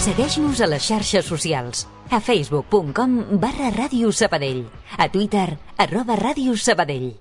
Segueix-nos a les xarxes socials. A facebook.com/Ràdio Sabadell. A Twitter, @Ràdio Sabadell.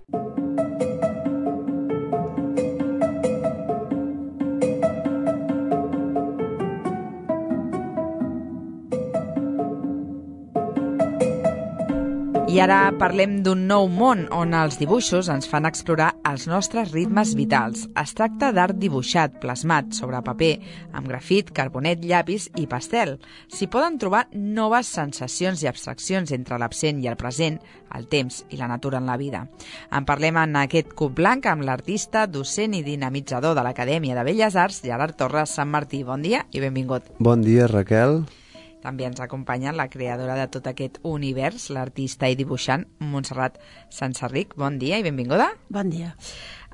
I ara parlem d'un nou món on els dibuixos ens fan explorar els nostres ritmes vitals. Es tracta d'art dibuixat, plasmat sobre paper, amb grafit, carbonet, llapis i pastel. S'hi poden trobar noves sensacions i abstraccions entre l'absent i el present, el temps i la natura en la vida. En parlem en aquest Cub Blanc amb l'artista, docent i dinamitzador de l'Acadèmia de Belles Arts, Gerard Torres Sant Martí. Bon dia i benvingut. Bon dia, Raquel. També ens acompanya la creadora de tot aquest univers, l'artista i dibuixant Montserrat Sanserric. Bon dia i benvinguda. Bon dia.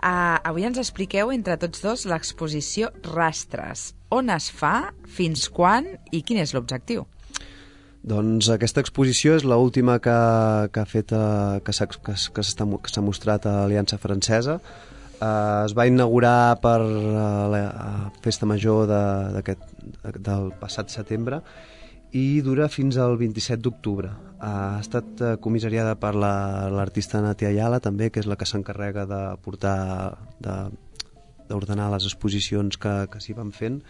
Avui ens expliqueu entre tots dos l'exposició Rastres. On es fa, fins quan i quin és l'objectiu? Doncs aquesta exposició és l'última que ha fet, que s'ha mostrat a l'Aliança Francesa. Es va inaugurar per la Festa Major del passat setembre i dura fins al 27 d'octubre. Ha estat comissariada per l'artista Natia Ayala, també, que és la que s'encarrega de portar, d'ordenar les exposicions que s'hi van fent.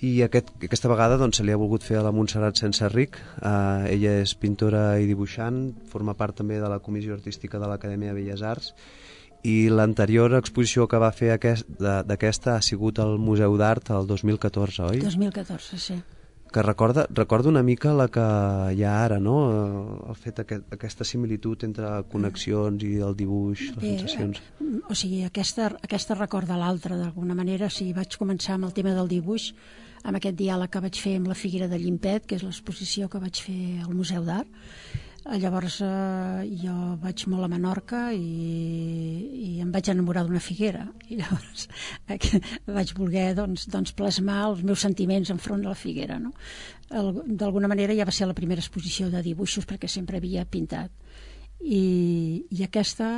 I aquesta vegada doncs, se li ha volgut fer a la Montserrat Sanserric. Ella és pintora i dibuixant, forma part també de la Comissió Artística de l'Acadèmia de Belles Arts, i l'anterior exposició que va fer d'aquesta ha sigut al Museu d'Art el 2014, oi? 2014, sí. Que recorda una mica la que hi ha ara, no? El fet aquesta similitud entre connexions i el dibuix, les sensacions. O sigui, aquesta recorda l'altra, d'alguna manera. O sigui, vaig començar amb el tema del dibuix, amb aquest diàleg que vaig fer amb la Figuera de Llimpet, que és l'exposició que vaig fer al Museu d'Art. Llavors jo vaig molt a Menorca i em vaig enamorar d'una figuera, i llavors vaig voler doncs, plasmar els meus sentiments enfront de la figuera, no? D'alguna manera ja va ser la primera exposició de dibuixos, perquè sempre havia pintat, i aquesta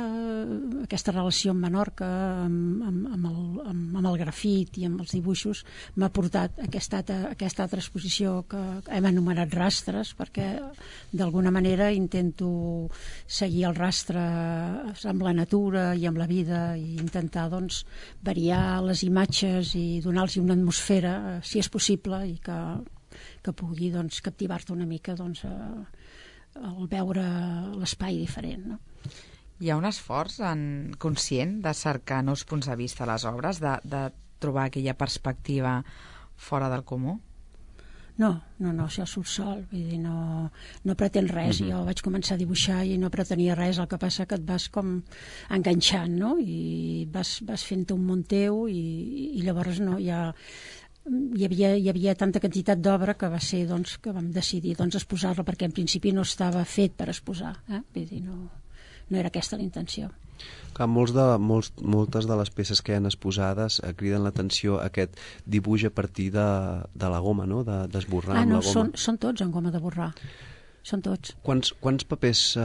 relació amb Menorca, amb el grafit i amb els dibuixos, m'ha portat a aquesta altra exposició que hem anomenat Rastres, perquè d'alguna manera intento seguir el rastre amb la natura i amb la vida, i intentar doncs, variar les imatges i donar-los una atmosfera, si és possible, i que pugui doncs, captivar-te una mica doncs, al veure l'espai diferent, no? Hi ha un esforç conscient de cercar nous punts de vista a les obres, de trobar aquella perspectiva fora del comú? No, això surt sol, vull dir, no pretén res. Jo vaig començar a dibuixar i no pretenia res, el que passa que et vas com enganxant, no? I vas fent-te un món teu, i llavors no, hi havia tanta quantitat d'obra que va ser doncs, que vam decidir doncs, exposar-la, perquè en principi no estava fet per exposar, vull dir, no era aquesta la intenció. Clar, moltes de les peces que hi ha exposades criden l'atenció aquest dibuix a partir de la goma, no? D'esborrar amb la goma. Són tots en goma de borrar. Són tots. Quants papers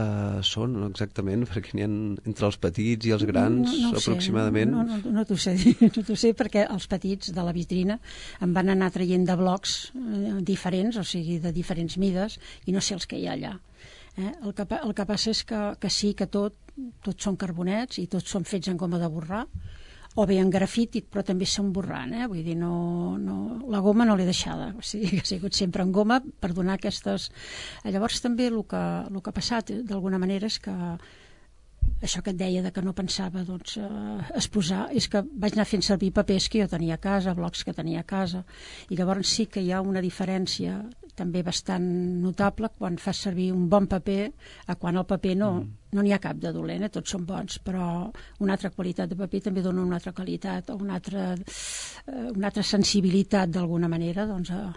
són exactament? Perquè n'hi ha entre els petits i els grans, aproximadament? No t'ho sé, perquè els petits de la vitrina em van anar traient de blocs diferents, o sigui, de diferents mides, i no sé els que hi ha allà. El que passa és que sí, que tots són carbonets i tots són fets en goma de borrar, o bé en grafit, però també són borrant, vull dir, la goma no l'he deixada, o sigui, que ha sigut sempre en goma per donar aquestes... Llavors també el que ha passat d'alguna manera és que això que et deia de que no pensava doncs, exposar, és que vaig anar fent servir papers que jo tenia a casa, blocs que tenia a casa, i llavors sí que hi ha una diferència també bastant notable quan fas servir un bon paper a quan el paper no n'hi ha cap de dolent, tots són bons, però una altra qualitat de paper també dona una altra qualitat o una altra sensibilitat d'alguna manera doncs, a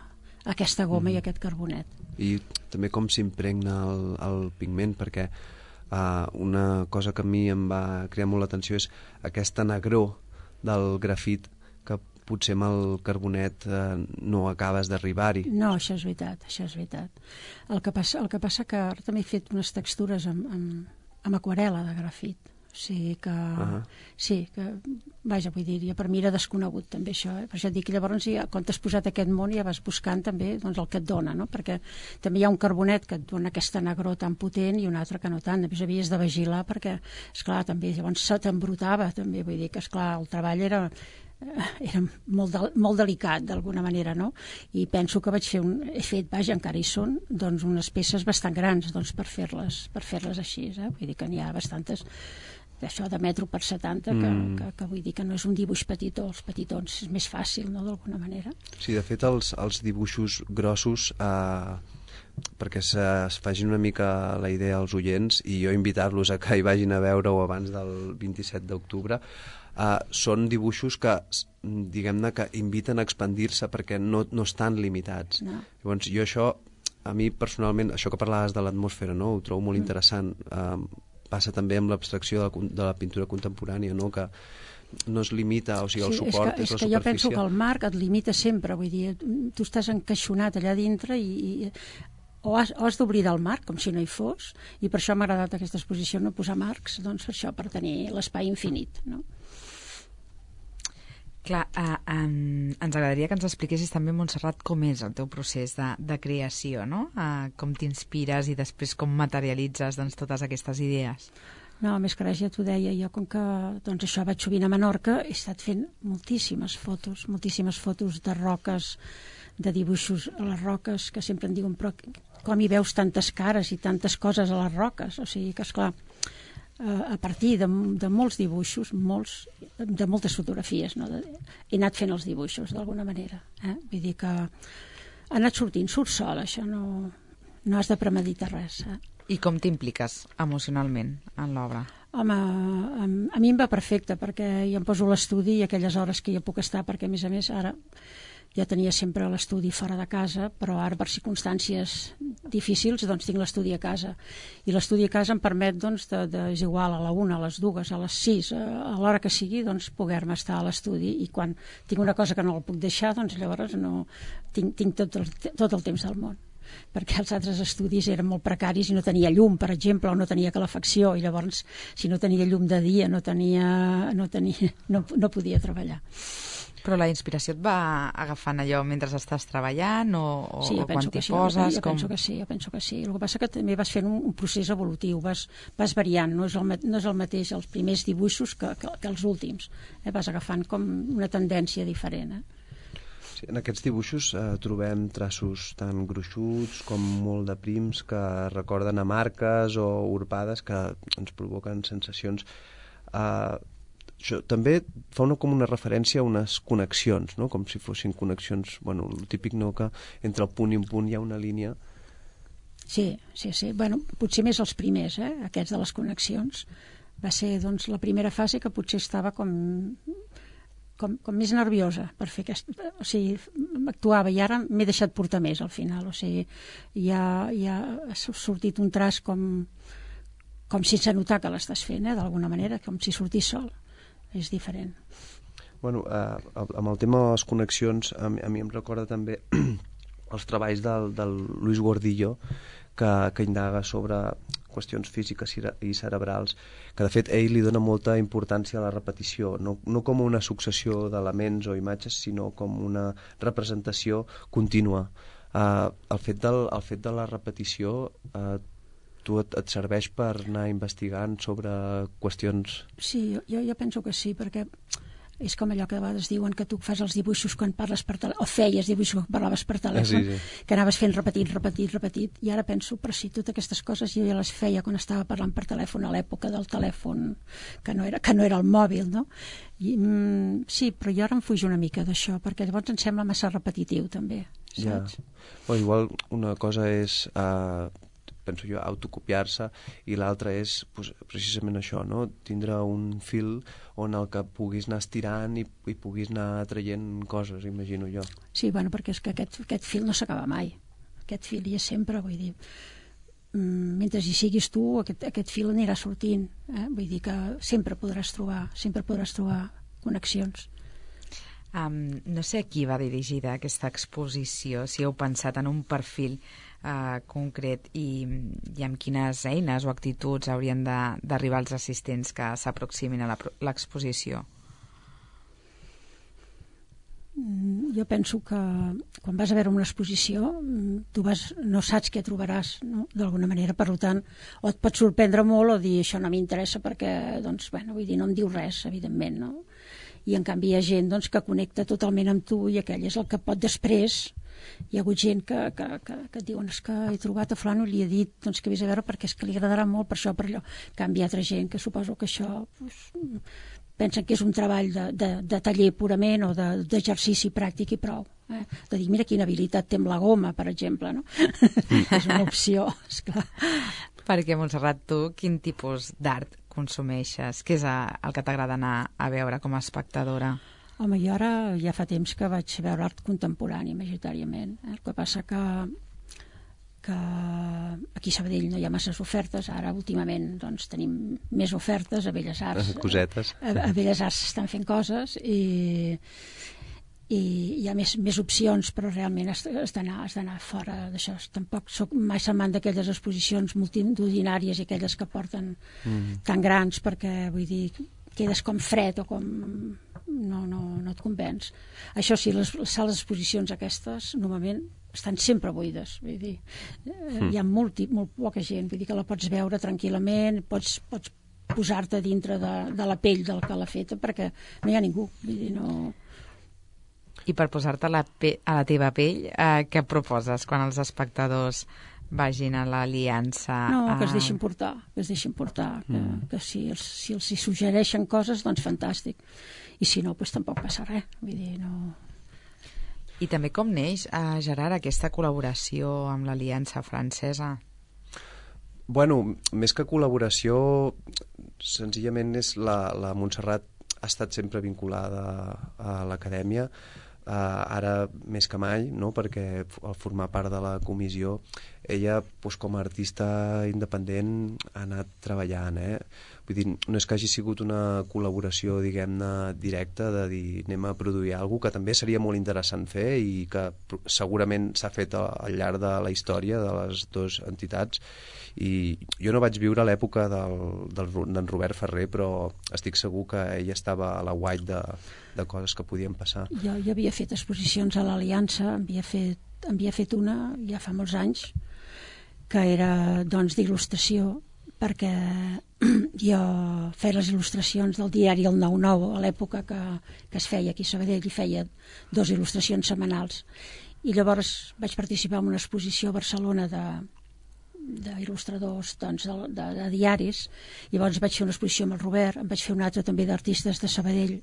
aquesta goma i aquest carbonet. I també com s'impregna el pigment, perquè una cosa que a mi em va cridar molt l'atenció és aquesta negror del grafit que potser amb el carbonet no acabes d'arribar-hi. No, això és veritat. El que passa que ara també he fet unes textures amb aquarel·la de grafit. Sí, vaja, vull dir, per mi era desconegut també això, per això et dic que llavors quan t'has posat aquest món ja vas buscant també doncs, el que et dona, no? Perquè també hi ha un carbonet que et dona aquesta negror tan potent i un altre que no tant, després havies de vigilar perquè, esclar, també llavors se t'embrutava també, vull dir que, esclar, el treball era molt delicat d'alguna manera, no? I penso que he fet, vaja, encara hi són, doncs unes peces bastant grans doncs, per fer-les així, vull dir que n'hi ha bastantes d'això de metro per 70 que vull dir que no és un dibuix petitó, els petitons és més fàcil, no?, d'alguna manera. Sí, de fet els dibuixos grossos perquè es facin una mica la idea als oients i jo invitar-los a que hi vagin a veure-ho abans del 27 d'octubre. Són dibuixos que, diguem-ne, que inviten a expandir-se perquè no estan limitats. No. Llavors, jo això, a mi personalment, això que parlaves de l'atmosfera, no? Ho trobo molt interessant. Passa també amb l'abstracció de la pintura contemporània, no? Que no es limita, o sigui, el suport és la superfície. És que jo penso que el marc et limita sempre, vull dir, tu estàs encaixonat allà dintre i o has d'obrir del marc, com si no hi fos, i per això m'ha agradat aquesta exposició, no posar marcs, doncs això, per tenir l'espai infinit, no? Clar, ens agradaria que ens expliquessis també, Montserrat, com és el teu procés de creació, no? Com t'inspires i després com materialitzes doncs, totes aquestes idees. No, més que res ja t'ho deia, jo com que doncs això vaig sovint a Menorca he estat fent moltíssimes fotos de roques, de dibuixos a les roques, que sempre em diuen però com hi veus tantes cares i tantes coses a les roques, o sigui que esclar, a partir de molts dibuixos, de moltes fotografies, no? He anat fent els dibuixos d'alguna manera, vull dir que ha anat sortint, surt sol, això no has de premeditar res. I com t'impliques emocionalment en l'obra? Home, a mi em va perfecte, perquè jo em poso a l'estudi i aquelles hores que jo puc estar, perquè a més ara ja tenia sempre l'estudi fora de casa, però ara per circumstàncies difícils doncs tinc l'estudi a casa, i l'estudi a casa em permet doncs és igual a la 1, a les 2, a les 6, a l'hora que sigui, doncs poder-me estar a l'estudi, i quan tinc una cosa que no la puc deixar, doncs llavors no tinc tot el temps del món, perquè els altres estudis eren molt precaris i no tenia llum, per exemple, o no tenia calefacció, i llavors si no tenia llum de dia no podia treballar. Però la inspiració et va agafant allò mentre estàs treballant o quan t'hi poses? Jo penso que sí. El que passa que també vas fent un procés evolutiu, vas variant, no és el mateix els primers dibuixos que els últims. Vas agafant com una tendència diferent. Sí, en aquests dibuixos trobem traços tan gruixuts com molt de prims que recorden a marques o urpades que ens provoquen sensacions. Això també fa com una referència a unes connexions, no? Com si fossin connexions, bueno, el típic, no?, que entre el punt i un punt hi ha una línia. Sí. Bueno, potser més els primers, aquests de les connexions. Va ser, doncs, la primera fase que potser estava com més nerviosa per fer o sigui, actuava, i ara m'he deixat portar més al final, o sigui, ja ha sortit un traç com sense notar que l'estàs fent, d'alguna manera, com si sortís sol. És diferent. Bueno, amb el tema de les connexions, a mi em recorda també els treballs del Luis Gordillo, que indaga sobre qüestions físiques i cerebrals, que de fet ell li dona molta importància a la repetició, no com una successió d'elements o imatges, sinó com una representació contínua. El fet de la repetició tu et serveix per anar investigant sobre qüestions? Sí, jo penso que sí, perquè és com allò que a vegades diuen que tu fas els dibuixos quan parles per telèfon, o feies dibuixos quan parlaves per telèfon, sí. Que anaves fent repetit, i ara penso, però sí, totes aquestes coses jo ja les feia quan estava parlant per telèfon, a l'època del telèfon, que no era el mòbil, no? Sí, però jo ara em fuig una mica d'això, perquè llavors em sembla massa repetitiu, també, saps? Ja. Igual una cosa és penso jo, autocopiar-se, i l'altre és precisament això, no? Tindre un fil on el que puguis anar estirant i puguis anar traient coses, imagino jo. Sí, bueno, perquè és que aquest fil no s'acaba mai. Aquest fil hi és sempre, vull dir, mentre hi siguis tu, aquest fil anirà sortint, vull dir que sempre podràs trobar connexions. No sé a qui va dirigida aquesta exposició, si heu pensat en un perfil concret i amb quines eines o actituds haurien d'arribar els assistents que s'aproximin a l'exposició? Jo penso que quan vas a veure una exposició tu no saps què trobaràs, no? D'alguna manera, per tant, o et pot sorprendre molt o dir això no m'interessa perquè, doncs, bueno, vull dir, no em diu res, evidentment, no? I en canvi hi ha gent doncs, que connecta totalment amb tu i aquell és el que pot després. Hi ha hagut gent que et diuen és que he trobat a fulano i li he dit doncs, que vés a veure perquè és que li agradarà molt per això, per allò. En canvi, hi ha altra gent que suposo que això pensen que és un treball de taller purament o d'exercici pràctic i prou. De dir, mira quina habilitat té amb la goma, per exemple, no? És una opció, esclar. Perquè, Montserrat, tu quin tipus d'art consumeixes? Què és el que t'agrada anar a veure com a espectadora? Home, jo ara ja fa temps que vaig veure art contemporani, majoritàriament. El que passa que aquí a Sabadell no hi ha masses ofertes, ara últimament doncs, tenim més ofertes a Belles Arts. Cosetes. A Belles Arts s'estan fent coses i hi ha més opcions, però realment has d'anar fora d'això. Tampoc soc mai amant d'aquelles exposicions multitudinàries i aquelles que porten tan grans, perquè vull dir, quedes com fred o com no et convenç. Això sí, les sales d'exposicions aquestes normalment estan sempre buides, vull dir, hi ha molt poca gent, vull dir que la pots veure tranquil·lament, pots posar-te dintre de la pell del que l'ha feta perquè no hi ha ningú, vull dir, no... I per posar-te a la teva pell, què proposes quan els espectadors vagin a l'Aliança? No, que es deixin portar, que si els hi suggereixen coses, doncs fantàstic. I si no, doncs tampoc passa res. Vull dir, no... I també com neix, Gerard, aquesta col·laboració amb l'Aliança Francesa? Bueno, més que col·laboració, senzillament és la Montserrat ha estat sempre vinculada a l'acadèmia, ara més que mai, no? Perquè al formar part de la comissió ella doncs, com a artista independent ha anat treballant, Vull dir, no és que hagi sigut una col·laboració, diguem-ne, directa de dir anem a produir alguna cosa que també seria molt interessant fer i que segurament s'ha fet al llarg de la història de les dues entitats. I jo no vaig viure l'època d'en Robert Ferrer, però estic segur que ell estava a la guait de coses que podien passar. Jo havia fet exposicions a l'Aliança, havia fet una ja fa molts anys, que era doncs d'il·lustració, perquè jo feia les il·lustracions del diari El 9-9 a l'època que es feia aquí a Sabadell, i feia 2 il·lustracions setmanals. I llavors vaig participar en una exposició a Barcelona d'il·lustradors doncs, de diaris. Llavors vaig fer una exposició amb el Robert, em vaig fer una altra també d'artistes de Sabadell,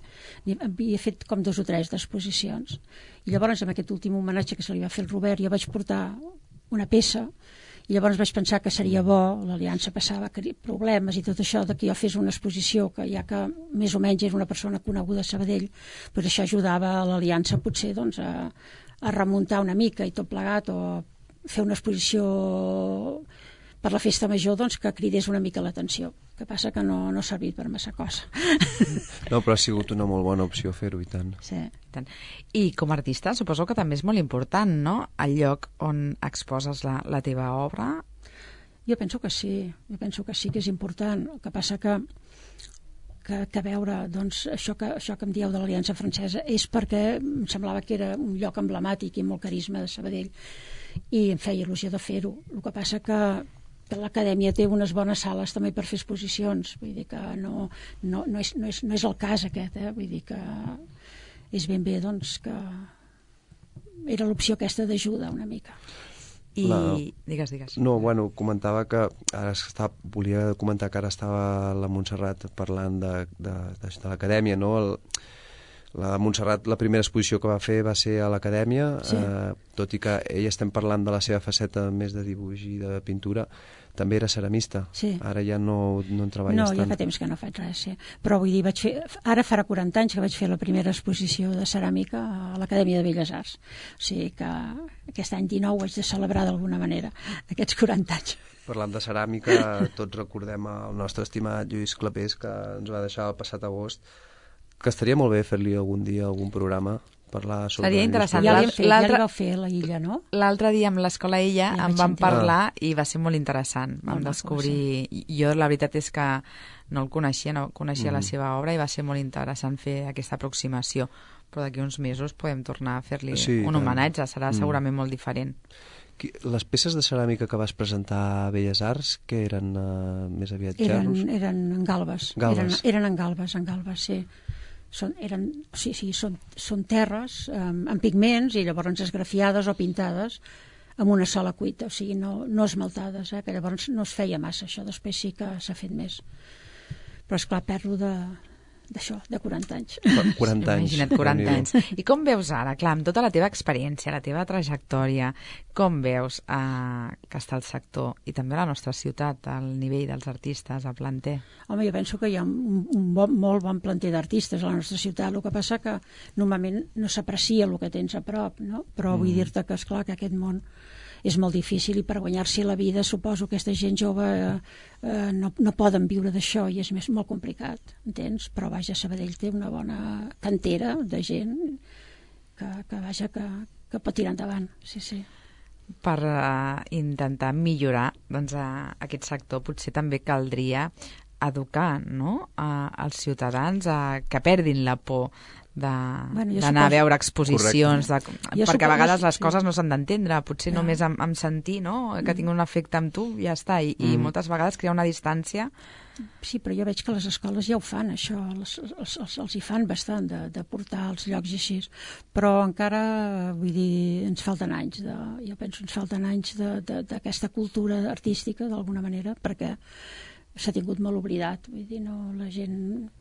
havia fet com 2 o 3 d'exposicions, i llavors amb aquest últim homenatge que se li va fer al Robert jo vaig portar una peça i llavors vaig pensar que seria bo, l'Aliança passava problemes i tot això, que jo fes una exposició que ja que més o menys era una persona coneguda a Sabadell, doncs això ajudava a l'Aliança potser doncs, a remuntar una mica i tot plegat, o fer una exposició per la festa major doncs, que cridés una mica l'atenció. El que passa que no ha servit per massa cosa. No, però ha sigut una molt bona opció fer-ho, i tant. Sí. I com a artista suposo que també és molt important, no?, el lloc on exposes la teva obra. Jo penso que sí, que és important. El que passa que veure doncs, això que em dieu de l'Aliança Francesa és perquè em semblava que era un lloc emblemàtic i molt carisma de Sabadell i em feia il·lusió de fer-ho. El que passa que l'acadèmia té unes bones sales també per fer exposicions, vull dir que no és el cas aquest, vull dir que és ben bé doncs, que era l'opció aquesta d'ajuda una mica. Digues. No, bueno, comentava que volia comentar que ara estava la Montserrat parlant de l'acadèmia, no? La Montserrat, la primera exposició que va fer va ser a l'acadèmia, sí. Tot i que ella estem parlant de la seva faceta més de dibuix i de pintura, també era ceramista. Sí. Ara ja no en treballes tant. No, ja fa temps que no faig res, sí. Però vull dir, ara farà 40 anys que vaig fer la primera exposició de ceràmica a l'Acadèmia de Belles Arts. O sigui que aquest any 19 haig de celebrar d'alguna manera aquests 40 anys. Parlant de ceràmica, tots recordem el nostre estimat Lluís Clapés, que ens va deixar el passat agost, que estaria molt bé fer-li algun dia algun programa parlar sobre... Seria interessant. Ja li vau fer a la Illa, no? L'altre dia amb l'Escola Illa en vam parlar i va ser molt interessant. Vam descobrir... Jo la veritat és que no el coneixia, no coneixia la seva obra i va ser molt interessant fer aquesta aproximació. Però d'aquí uns mesos podem tornar a fer-li un homenatge, serà segurament molt diferent. Les peces de ceràmica que vas presentar a Belles Arts, que eren més aviat gerros? Eren en galbes. Eren en galbes, sí. Són terres amb pigments i llavors esgrafiades o pintades amb una sola cuita, o sigui, no esmaltades, que llavors no es feia massa això, després sí que s'ha fet més. Però esclar, perdo d'això, de 40 anys. 40 anys. Imagina't, 40 anys. I com veus ara, clar, amb tota la teva experiència, la teva trajectòria, com veus que està el sector i també la nostra ciutat, al nivell dels artistes, a planter? Home, jo penso que hi ha un molt bon planter d'artistes a la nostra ciutat. El que passa que normalment no s'aprecia el que tens a prop, no? Però vull dir-te que, esclar, que aquest món és molt difícil i per guanyar-s'hi la vida suposo que aquesta gent jove no poden viure d'això i és molt complicat, entens? Però vaja, Sabadell té una bona cantera de gent que pot tirar endavant, sí. Per intentar millorar aquest sector potser també caldria educar, no?, als ciutadans que perdin la por d'anar a veure exposicions, perquè a vegades les coses no s'han d'entendre, potser només amb sentir, no?, que tinc un efecte amb tu, ja està, i moltes vegades crea una distància. Sí, però jo veig que les escoles ja ho fan, això, els hi fan bastant de portar als llocs i així, però encara, vull dir, ens falten anys, jo penso ens falten anys d'aquesta cultura artística, d'alguna manera, perquè s'ha tingut molt oblidat, vull dir, la gent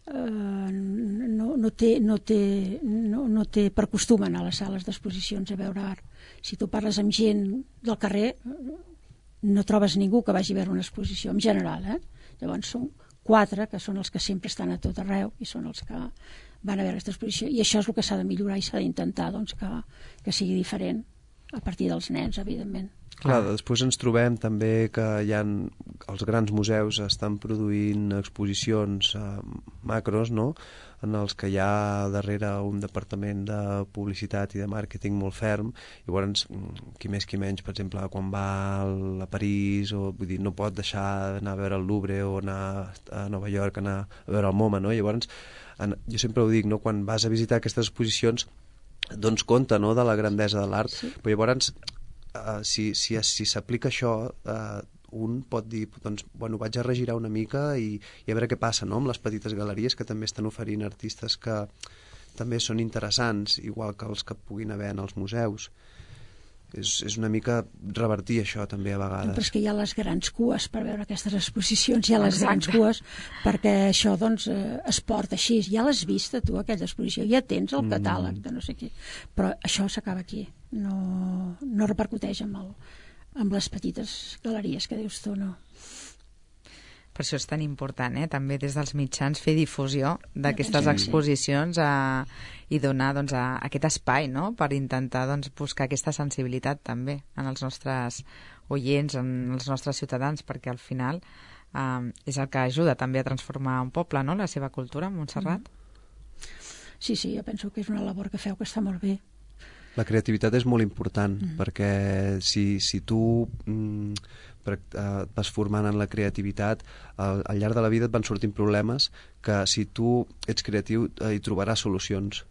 no té per costum anar a les sales d'exposicions a veure art. Si tu parles amb gent del carrer no trobes ningú que vagi a veure una exposició, en general, Llavors són 4 que són els que sempre estan a tot arreu i són els que van a veure aquesta exposició, i això és el que s'ha de millorar i s'ha d'intentar que sigui diferent a partir dels nens, evidentment. Clar, després ens trobem també que els grans museus estan produint exposicions macros, no?, en els que hi ha darrere un departament de publicitat i de màrqueting molt ferm, i llavors qui més qui menys, per exemple, quan va a París, vull dir, no pot deixar d'anar a veure el Louvre o anar a Nova York, anar a veure el MoMA, no? Llavors, jo sempre ho dic, no?, quan vas a visitar aquestes exposicions dones compte, no?, de la grandesa de l'art, sí. Però llavors si s'aplica això, un pot dir, doncs, bueno, vaig a regirar una mica i a veure què passa, no?, amb les petites galeries que també estan oferint artistes que també són interessants, igual que els que puguin haver en els museus. És una mica revertir això també a vegades. Però és que hi ha les grans cues per veure aquestes exposicions, hi ha les grans cues perquè això doncs es porta així. Ja l'has vista tu, aquesta exposició, ja tens el catàleg de no sé què, però això s'acaba aquí, no repercuteix amb les petites galeries que dius tu, no. Per això és tan important, també des dels mitjans fer difusió d'aquestes exposicions i donar aquest espai, no?, per intentar buscar aquesta sensibilitat també en els nostres oients, en els nostres ciutadans, perquè al final és el que ajuda també a transformar un poble, no?, la seva cultura, Montserrat. Sí, jo penso que és una labor que feu que està molt bé. La creativitat és molt important, perquè si tu et vas formant en la creativitat, al llarg de la vida et van sortint problemes que si tu ets creatiu hi trobaràs solucions.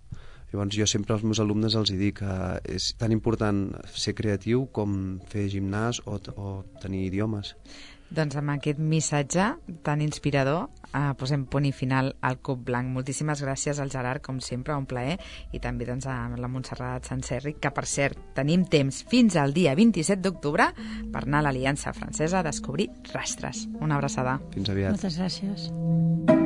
Llavors jo sempre als meus alumnes els dic que és tan important ser creatiu com fer gimnàs o tenir idiomes. Doncs amb aquest missatge tan inspirador posem punt i final al Cub Blanc. Moltíssimes gràcies al Gerard, com sempre, un plaer, i també a la Montserrat Sanserri, que per cert tenim temps fins al dia 27 d'octubre per anar a l'Aliança Francesa a descobrir rastres. Una abraçada. Fins aviat. Moltes gràcies.